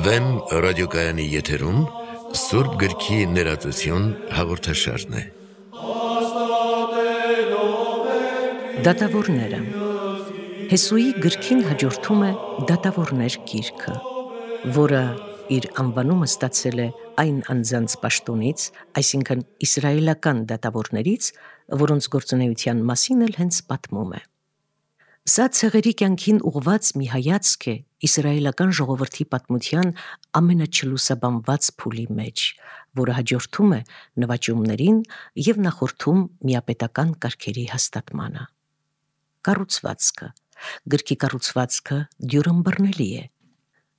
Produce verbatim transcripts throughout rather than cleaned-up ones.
Վեմ ռադիոկայանի եթերում Սուրբ գրքի ներածություն հաղորդաշարն է։ Դատավորները Հեսուի գրքին հաջորդում է Դատավորներ գիրքը, որը իր անվանումը ստացել է այն անձանց պաշտոնից, այսինքն իսրայելական դատավորներից, որոնց գործունեության մասին էլ հենց պատմում է։ Սա ցեղերի կյանքին ուղված մի հայացք է իսրայելական ժողովրդի պատմության ամենաչլուսաբանված փուլի մեջ, որը հաջորդում է նվաճումներին և նախորդում միապետական կարգերի հաստատմանը։ Կառուցվածքը Գրքի կառուցվածքը դյուրըմբռնելի է։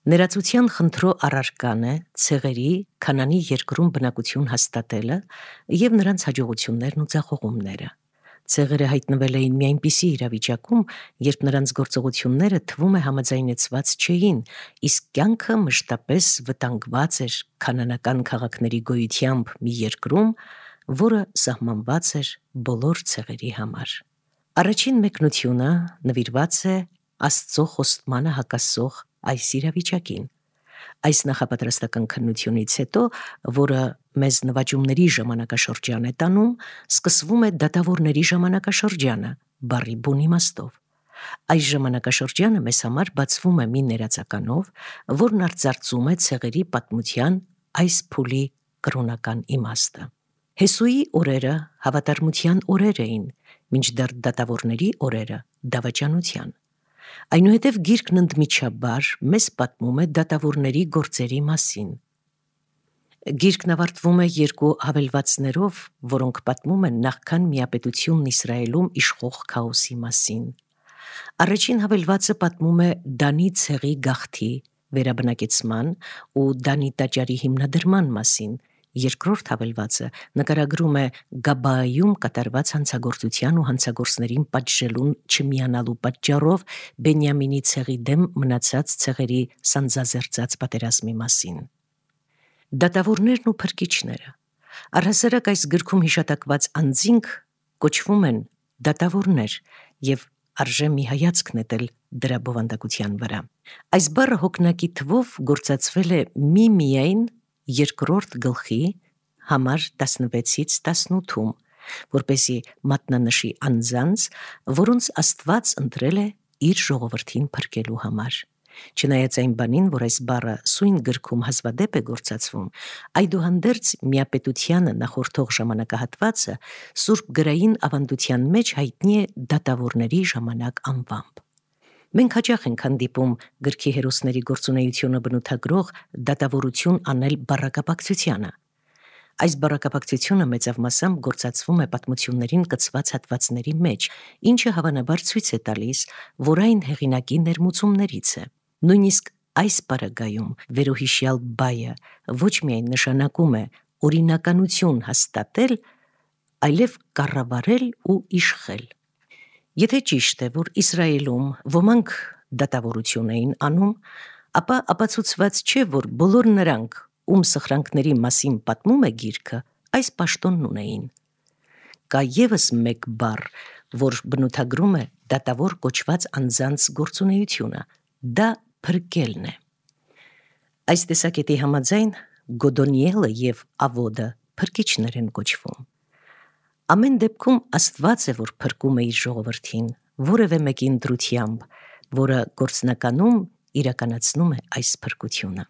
Ներածության խնդրո առարկան է ցեղերի Քանանի երկրում բնակություն հաստատելը և նրանց հաջողություններն ու ձախողումները։ Ցեղերը հայտնվել էին մի այնպիսի իրավիճակում, երբ նրանց գործողությունները թվում է համաձայնեցված չէին, իսկ կյանքը մշտապես վտանգված էր քանանական քաղաքների գոյությամբ մի երկրում, որը սահմանված էր բոլոր ցեղերի համար։ Առաջին մեկնությունը նվիրված է Աստծո խոստմանը հակասող այս իրավիճակին։ Այս նախապատրաստական քննությունից հետո, որը մեզ նվաճումների ժամանակաշրջան է տանում, սկսվում է դատավորների ժամանակաշրջանը, բառի բուն իմաստով։ Այս ժամանակաշրջանը մեզ համար բացվում է մի ներածականով, որն արծարծում է ցեղերի պատմության այս փուլի կրոնական իմաստը։ Հեսուի օրերը հավատարմության օրեր էին, մինչդեռ դատավորների օրերը՝ դավաճանության։ Այնուհետև գիրքն ընդմիջաբար մեզ պատմում է դատավորների գործերի մասին։ Գիրքն ավարտվում է երկու հավելվածներով, որոնք պատմում են նախքան միապետությունն Իսրայելում իշխող քաոսի մասին։ Առաջին հավելվածը պատմում է Դանի ցեղի գաղթի, վերաբնակեցման ու Դանի տաճարի հիմնադրման մասին, երկրորդ հավելվածը նկարագրում է Գաբայում կատարված հանցագործության ու հանցագործներին պատժելուն չմիանալու պատճառով Բենյամինի ցեղի դեմ մնացած ցեղերի սանձազերծած պատերազմի մասին։ Դատավորներն ու փրկիչները Առհասարակ այս գրքում հիշատակված անձինք կոչվում են դատավորներ և արժե մի հայացք նետել դրա բովանդակության վրա։ Այս բառը հոգնակի թվով գործածվել է միմիայն երկրորդ գլխի համար տասնվեցից տասնութում, որպեսզի մատնանշի անձանց, որոնց Աստված ընտրել է իր ժողովրդին փրկելու համար։ Չնայած այն բանին, որ այս բառը սույն գրքում հազվադեպ է գործածվում, այդուհանդերձ միապետությանը նախորդող ժամանակահատվածը Սուրբ գրային ավանդության մեջ հայտնի է դատավորների ժամանակ անվամբ։ Մենք հաճախ ենք հանդիպում գրքի հերոսների գործունեությունը բնութագրող դատավորություն անել բառակապակցությանը։ Այս բառակապակցությունը մեծավ մասամբ գործածվում է պատմություններին կցված հատվածների մեջ, ինչը հավանաբար ցույց է տալիս, որ այն հեղինակի ներմուծումներից է։ Նույնիսկ այս պարագայում վերոհիշյալ բայը ոչ միայն նշանակում է օրինականություն հաստատել, այլև կառավարել ու իշխել։ Եթե ճիշտ է, որ Իսրայելում ոմանք դատավորություն էին անում, ապա ապացուցված չէ, որ բոլոր նրանք, ում սխրանքների մասին պատմում է գիրքը, այս պաշտոնն ունեին։ Կա ևս մեկ բառ, որ բնութագրում է դատավոր կոչված անձանց գործունեությունը, դա փրկելն է։ Այս տեսակետի համաձայն Գոդոնիելը և Ավոդը փրկիչներ են կոչվում։ Ամեն դեպքում Աստված է, որ փրկում է իր ժողովրդին, որևէ մեկի ընտրությամբ, որը գործնականում իրականացնում է այս փրկությունը։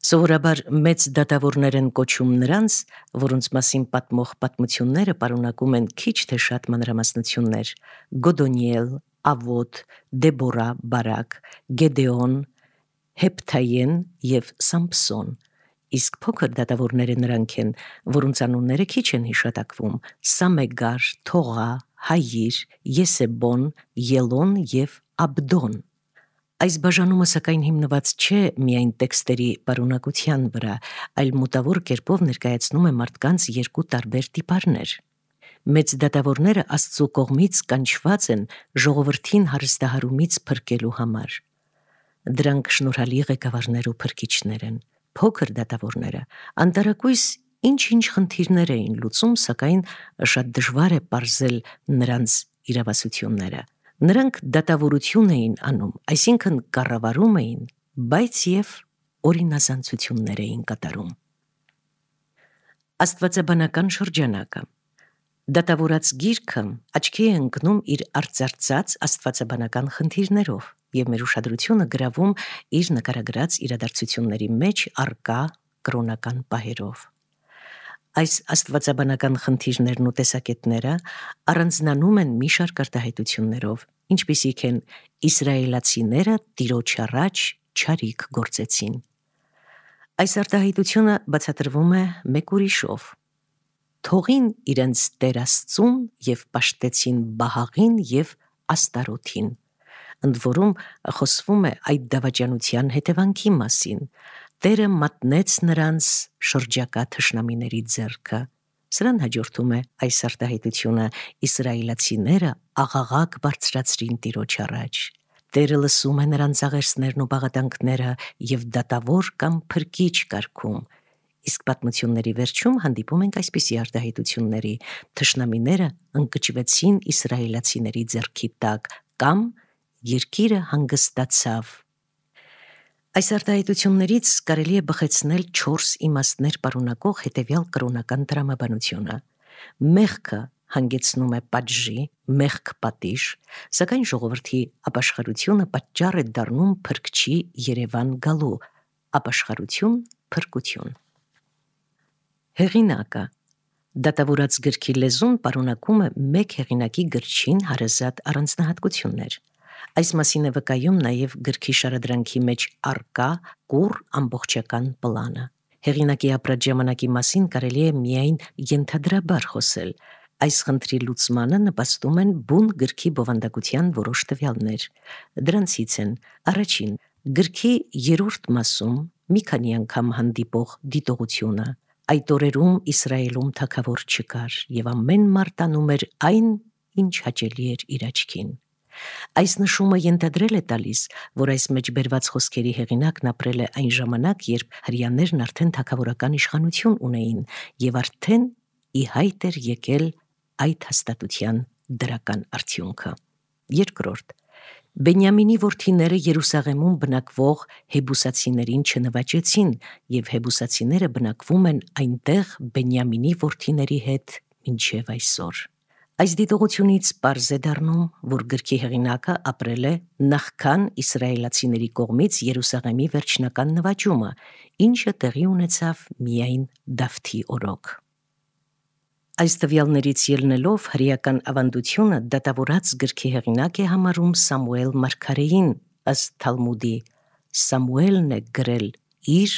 Սովորաբար մեծ դատավորներ են կոչում նրանց, որոնց մասին պատմող պատմությունները պարունակում են քիչ թե շատ մանրամասնություններ՝ Գոդոնիել, Ավոդ, Դեբորա, Բարակ, Գեդեոն, Հեփթայեն և Սամփսոն, իսկ փոքր դատավորները նրանք են, որոնց անունները քիչ են հիշատակվում՝ Սամեգար, Թողա, Հայիր, Եսեբոն, Ելոն և Աբդոն։ Այս բաժանումը սակայն հիմնված չէ միայն տեքստերի պարունակության վրա, այլ մոտավոր կերպով ներկայացնում է մարդկանց երկու տարբեր տիպարներ։ Մեծ դատավորները Աստծո կողմից կանչված են ժողովրդին հարստահարումից փրկելու համար։ Դրանք շնորհալի ղեկավարներ ու փրկիչներ են։ Փոքր դատավորները անտարակույս ինչ-ինչ խնդիրներ էին լուծում, սակայն շատ դժվար է պարզել նրանց իրավասությունները։ Նրանք դատավորություն էին անում, այսինքն կառավարում էին, բայց և օրինազանցություններ էին կատարում։ Աստվածաբանական շրջանակը դատավորած գիրքը աչքի է ընկնում իր արծարծած աստվածաբանական խնդիրներով և մեր ուշադրությունը գրավում իր նկարագրած իրադարձությունների մեջ առկա կրոնական պահերով։ Այս աստվածաբանական խնդիրներն ու տեսակետները առանձնանում են մի շարք արտահայտություններով, ինչպիսիք են իսրայելացիները Տիրոջ առաջ չարիք գործեցին։ Այս արտահայտությունը բացատրվում է մեկ ուրիշով. թողին իրենց Տեր Աստծուն և պաշտեցին Բահաղին և Աստարոթին, ընդ որում խոսվում է այդ դավաճանության հետևանքի մասին. Տերը մատնեց նրանց շրջակա թշնամիների ձեռքը։ Սրան հաջորդում է այս արտահայտությունը. իսրայելացիները աղաղակ բարձրացրին Տիրոջ առաջ։ Տերը լսում է նրանց աղերսներն ու բաղատանքները և դատավոր կամ փրկիչ կարգում։ Իսկ պատմությունների վերջում հանդիպում ենք այսպիսի արտահայտությունների. թշնամիները ընկճվեցին իսրայելացիների ձեռքի տակ կամ երկիրը հանգստացավ։ Այս արտահայտություններից կարելի է բխեցնել չորս իմաստներ պարունակող հետևյալ կրոնական տրամաբանությունը. մեղքը հանգեցնում է պատժի, մեղք պատիժ, սակայն ժողովրդի ապաշխարությունը պատճառ է դառնում փրկչի երևան գալու, ապաշխարություն, փրկություն։ Հեղինակը դատավորած գրքի լեզուն պարունակում է մեկ հեղինակի գրչին հարազատ առանձնահատկություններ։ Այս մասին է վկայում նաև գրքի շարադրանքի մեջ առկա կուռ ամբողջական պլանը։ Հեղինակի ապրած ժամանակի մասին կարելի է միայն ենթադրաբար խոսել։ Այս խնդրի լուծմանը նպաստում են բուն գրքի բովանդակության որոշ տվյալներ։ Դրանցից են. առաջին, գրքի երրորդ մասում մի քանի անգամ հանդիպող դիտողությունը։ Այդ օրերում Իսրայելում թագավոր չկար, և ամեն մարդ անում էր այն, ինչ հաճելի էր իր աչքին։ Այս նշումը ենթադրել է տալիս, որ այս մեջ բերված խոսքերի հեղինակն ապրել է այն ժամանակ, երբ հրեաներն արդեն թագավորական իշխանություն ունեին և արդեն ի հայտ էր եկել այդ հաստատության դրական արդյունքը։ Երկրորդ, Բենյամինի որդիները Երուսաղեմում բնակվող հեբուսացիներին չնվաճեցին, և հեբուսացիները բնակվում են այնտեղ Բենյամինի որդիների հետ մինչև այսօր։ Այս դիտողությունից պարզ է դառնում, որ գրքի հեղինակը ապրել է նախքան իսրայելացիների կողմից Երուսաղեմի վերջնական նվաճումը, ինչը տեղի ունեցավ միայն Դավթի օրոք։ Այս տվյալներից ելնելով հրեական ավանդությունը դատավորած գրքի հեղինակ է համարում Սամուել մարգարեին, ըստ Թալմուդի. Սամուելն է գրել իր,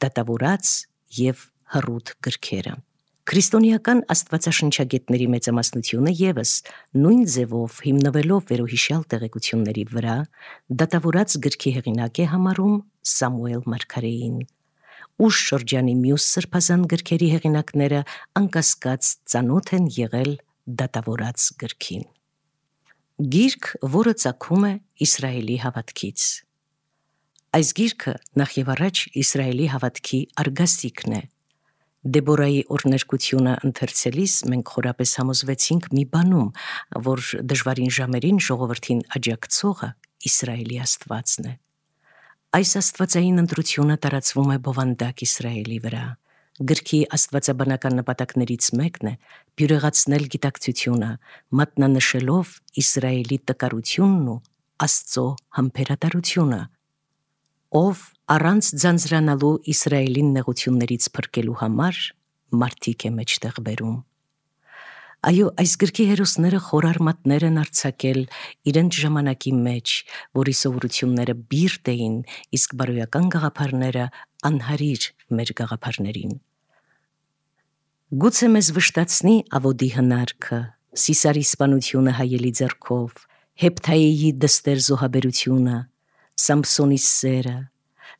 դատավորած և հռութ գրքերը։ Քրիստոնեական աստվածաշնչագետների մեծամասնությունը ևս նույն ձևով հիմնվելով վերոհիշյալ տեղեկությունների վրա դատավորած գրքի հեղինակ է համարում Սամուել մարգարեին։ Ուշ շրջանի մյուս սրբազան գրքերի հեղինակները անկասկած ծանոթ են եղել դատավորած գրքին։ Գիրք, որը ծագում է Իսրայելի հավատքից։ Այս գիրքը նախ և առաջ Իսրայելի հավատքի արգասիքն է։ Դեբորայի օրհներկությունը ընթերցելիս մենք խորապես համոզվեցինք մի բանում, որ դժվարին ժամերին ժողովրդին աջակցողը Իսրայելի Աստվածն է։ Այս աստվածային ընտրությունը տարածվում է բովանդակ Իսրայելի վրա։ Գրքի աստվածաբանական նպատակներից մեկն է բյուրեղացնել գիտակցությունը, մատնանշելով Իսրայելի տկարությունն ու Աստծո համբերատարությունը, ով առանց ձանձրանալու Իսրայելին նեղություններից փրկելու համար մարդիկ է մեջտեղ բերում։ Այո, այս գրքի հերոսները խոր արմատներ են արձակել իրենց ժամանակի մեջ, որի սովորությունները բիրտ էին, իսկ բարոյական գաղափարները անհարիր մեր գաղափարներին։ Գուցե մեզ վշտացնի Ավոդի հնարքը, Սիսարի սպանությունը հայելի ձեռքով, Հեփթայեի դստեր զոհաբերությունը, Սամփսոնի սերը,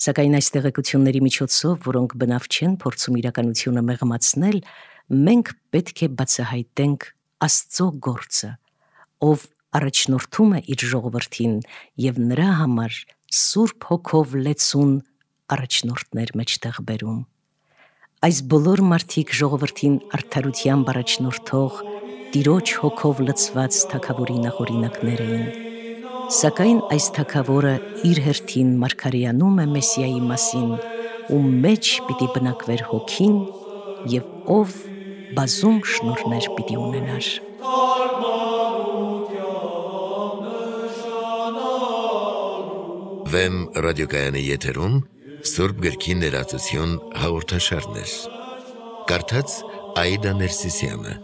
սակայն այս տեղեկությունների միջոցով, որոնք բնավ չեն փորձում իրականությունը մեղմացնել, մենք պետք է բացահայտենք Աստծո գործը, ով առաջնորդում է իր ժողովրդին և նրա համար Սուրբ Հոգով լեցուն առաջնորդներ մեջտեղ բերում։ Այս բոլոր մարդիկ ժողովրդին արդարությամբ առաջնորդող Տիրոջ հոգով լցված թագավորի նախօրինակներ էին։ Սակայն այս թագավորը իր հերթին մարգարեանում է Մեսիայի մասին, ում մեջ պիտի բնակվեր հոգին և ով բազում շնորհներ պիտի ունենար։ Վեմ ռադիոկայանի եթերում Սուրբ գրքի ներածություն հաղորդաշարներ։ Կարդաց Աիդա Ներսիսյանը։